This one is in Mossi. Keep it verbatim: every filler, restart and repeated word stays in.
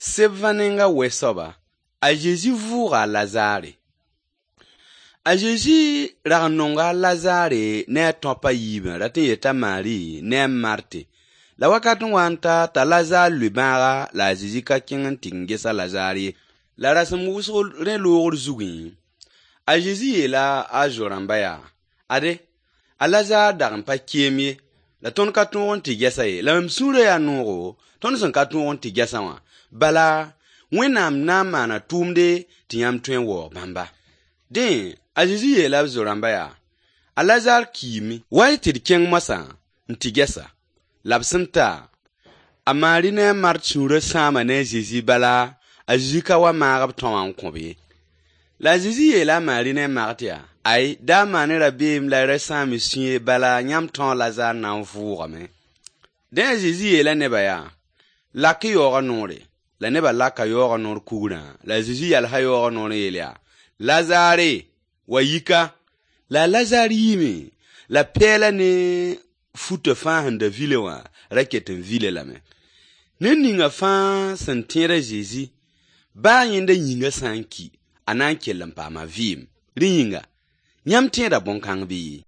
Sebvã nenga wɛ-soaba, a Zezi vʋʋga a Lazare. A Zezi rag n nonga a Lazare ne a tõap a yiibã rat n yeta Maari ne a Marte. La wakat n wa n ta t'a Lazar lʋɩ bãaga la a Zezi ka kẽng n tɩ n ges a Lazar ye. La rasem wʋsg rẽ loogr zugẽ, a Zezi yeela a zo-rãmba yaa: Ade, a Lazar dag n pa keem ye, la tõnd ka tõog n tɩ ges-a ye. La mam sũurã yaa noogo, tõnd sẽn ka tõog n tɩ ges-a wã. Bala, Wẽnnaam na n maana tʋʋmde tɩ yãmb tõe n waoog bãmba. Dẽ, a Zezi yeela b zo-rãmba yaa: A Lazar kiime, wa-y tɩ d kẽng moasã n tɩ ges-a. La b sẽn ta, a Maari ne a Mart sũurã sãama ne a Zezi bala a Zezi ka wa maag b tão wã n kõ-b ye. La a Zezi yeela a Maari ne a Mart yaa: Ay, da maan-y rabeem la y ra sãam y sũye, bala yãmb tão a Lazar na n vʋʋgame. Dẽ a Zezi yeela nebã yaa: Lak-y yaoogã noore. La nebã laka yaoogã noor kugrã, la a Zezi yalsa yaoogã noor n yeel yaa: Lazare, wa yika. La a Lazar yiime, la pɛɛla ne futã fãa sẽn da vile wã ra ket n vile lame. Ned ninga fãa sẽn tẽed a Zezi, baa yẽnda yĩngã sã n ki, a na n kell n paama vɩɩm. Rẽ yĩnga, yãmb tẽeda bõn-kãng bɩ?